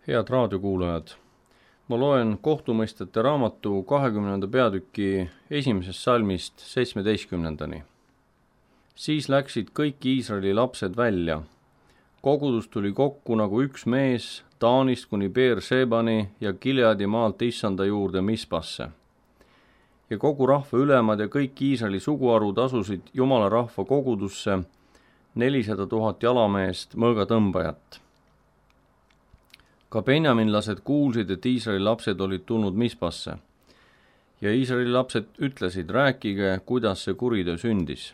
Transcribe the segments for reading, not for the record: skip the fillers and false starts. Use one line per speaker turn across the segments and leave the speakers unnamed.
Head raadiokuulajad, ma loen kohtumõistjate raamatu 20. peatüki 1. salmist 17. Siis läksid kõik Iisraeli lapsed välja. Kogudus tuli kokku nagu üks mees Taanist kuni Beer-Shebani ja Gileadi maalt Issanda juurde Mispasse. Ja kogu rahva ülemad ja kõik Iisraeli suguharud asusid Jumala rahva kogudusse 400 000 jalameest mõõgatõmbajat. Ka benjaminlased kuulsid, et Iisraeli lapsed olid tulnud Mispasse. Ja Iisraeli lapsed ütlesid, rääkige, kuidas see kuritöö sündis.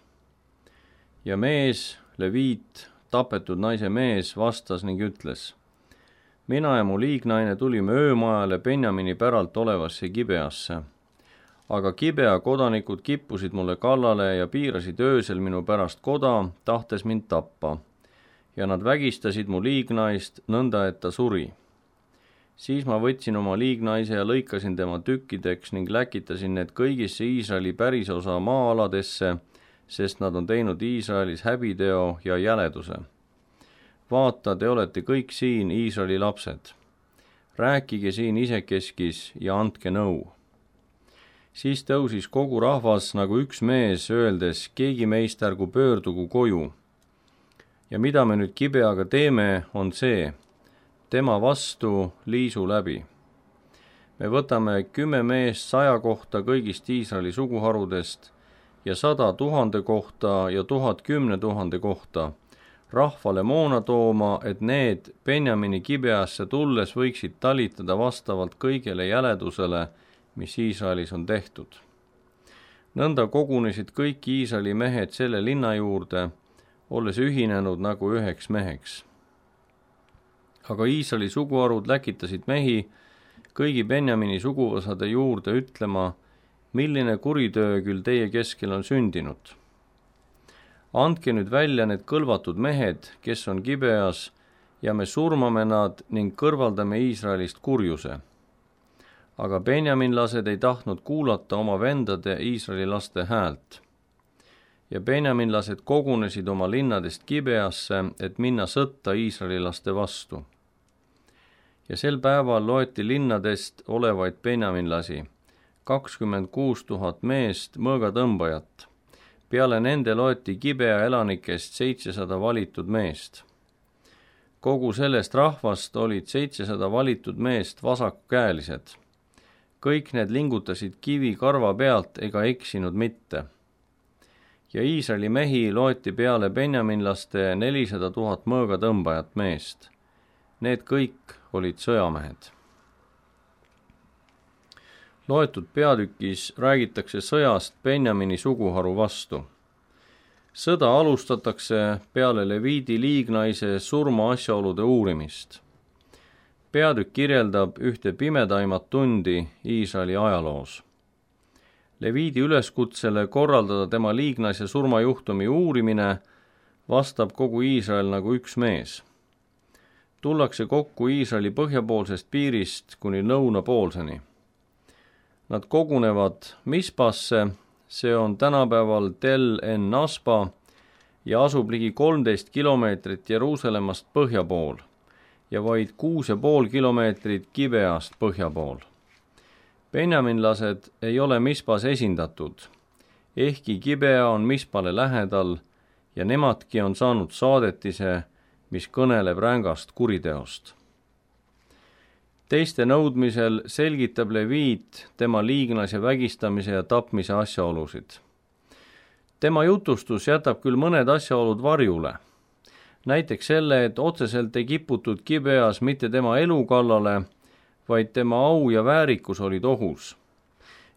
Ja mees, Leviit, tapetud naise mees, vastas ning ütles, mina ja mu liignaine tulime öömajale Benjamini päralt olevasse Gibeasse. Aga Gibea kodanikud kippusid mulle kallale ja piirasid öösel minu pärast koda, tahtes mind tappa. Ja nad vägistasid mu liignaist nõnda, et ta suri. Siis ma võtsin oma liignaise ja lõikasin tema tükkideks ning läkitasin need kõigisse Iisraeli pärisosa maa-aladesse, sest nad on teinud Iisraelis häbiteo ja jäleduse. Vaata, te olete kõik siin Iisraeli lapsed. Rääkige siin isekeskis ja andke nõu. Siis tõusis kogu rahvas nagu üks mees, öeldes, keegi meist ärgu pöördugu koju. Ja mida me nüüd Gibeaga teeme, on see, tema vastu liisu läbi. Me võtame 10 meest 100 kohta kõigist Iisraeli suguharudest ja 100 000 kohta ja 1000 10 000 kohta, rahvale moona tooma, et need Benjamini Gibeasse tulles võiksid talitada vastavalt kõigele jäledusele, mis Iisraelis on tehtud. Nõnda kogunesid kõik Iisraeli mehed selle linna juurde, olles ühinenud nagu üheks meheks. Aga Iisraeli suguharud läkitasid mehi kõigi Benjamini suguvõsade juurde ütlema, milline kuritöö küll teie keskel on sündinud. Andke nüüd välja need kõlvatud mehed, kes on Gibeas, ja me surmame nad ning kõrvaldame Iisraelist kurjuse. Aga benjaminlased ei tahtnud kuulata oma vendade Iisraeli laste häält. Ja benjaminlased kogunesid oma linnadest Gibeasse, et minna sõtta Iisraeli laste vastu. Ja sel päeval loeti linnadest olevaid benjaminlasi, 26 000 meest mõõgatõmbajat. Peale nende loeti Gibea elanikest 700 valitud meest. Kogu sellest rahvast olid 700 valitud meest vasakkäelised. Kõik need lingutasid kivi karva pealt ega eksinud mitte. Ja Iisraeli mehi loeti peale benjaminlaste 400 000 mõõgatõmbajat meest. Need kõik olid sõjamehed. Loetud peatükis räägitakse sõjast Benjamini suguharu vastu. Sõda alustatakse peale Leviidi liignaise surma asjaolude uurimist. Peatükk kirjeldab ühte pimedaimat tundi Iisraeli ajaloos. Leviidi üleskutsele korraldada tema liignaise surmajuhtumi uurimine vastab kogu Iisrael nagu üks mees. Tullakse kokku Iisraeli põhjapoolsest piirist kuni lõunapoolseni. Nad kogunevad Mispasse, see on tänapäeval Tel En Naspa ja asub ligi 13 kilomeetrit Jeruusalemmast põhja pool ja vaid 6,5 kilomeetrit Gibeast põhja pool. Benjaminlased ei ole Mispas esindatud, ehkki Gibea on Mispale lähedal ja nemadki on saanud saadetise, mis kõneleb rängast kuriteost. Teiste nõudmisel selgitab Leviit tema liignase vägistamise ja tapmise asjaolusid. Tema jutustus jätab küll mõned asjaolud varjule. Näiteks selle, et otseselt ei kiputud Gibeas mitte tema elu kallale, vaid tema au ja väärikus olid ohus.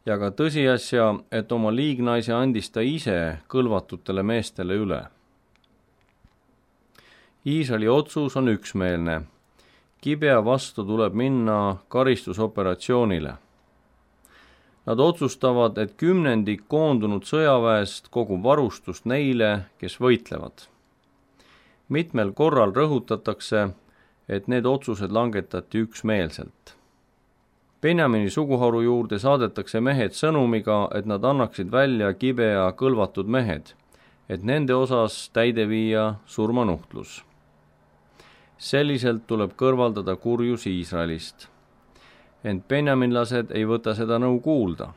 Ja ka tõsiasja, et oma liignaise andis ta ise kõlvatutele meestele üle. Iisraeli otsus on üksmeelne. Gibea vastu tuleb minna karistusoperatsioonile. Nad otsustavad, et 10% koondunud sõjaväest kogub varustust neile, kes võitlevad. Mitmel korral rõhutatakse, et need otsused langetati üksmeelselt. Benjamini suguharu juurde saadetakse mehed sõnumiga, et nad annaksid välja Gibea kõlvatud mehed, et nende osas täide viia surmanuhtlus. Selliselt tuleb kõrvaldada kurjus Iisraelist. Ent benjaminlased ei võta seda nõu kuulda.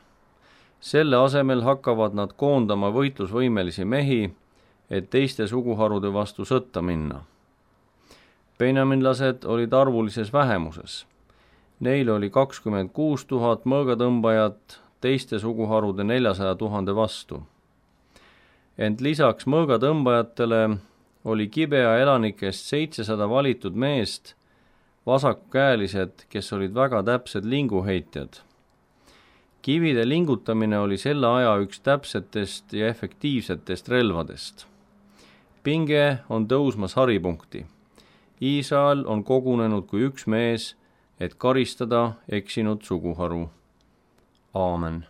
Selle asemel hakkavad nad koondama võitlusvõimelisi mehi, et teiste suguharude vastu sõtta minna. Benjaminlased olid arvulises vähemuses. Neil oli 26 000 mõõgatõmbajat teiste suguharude 400 000 vastu. Ent lisaks mõõgatõmbajatele oli Gibea elanikest 700 valitud meest, vasakukäelised, kes olid väga täpsed linguheitjad. Kivide lingutamine oli selle aja üks täpsetest ja efektiivsetest relvadest. Pinge on tõusmas haripunkti. Iisrael on kogunenud kui üks mees, et karistada eksinud suguharu. Aamen.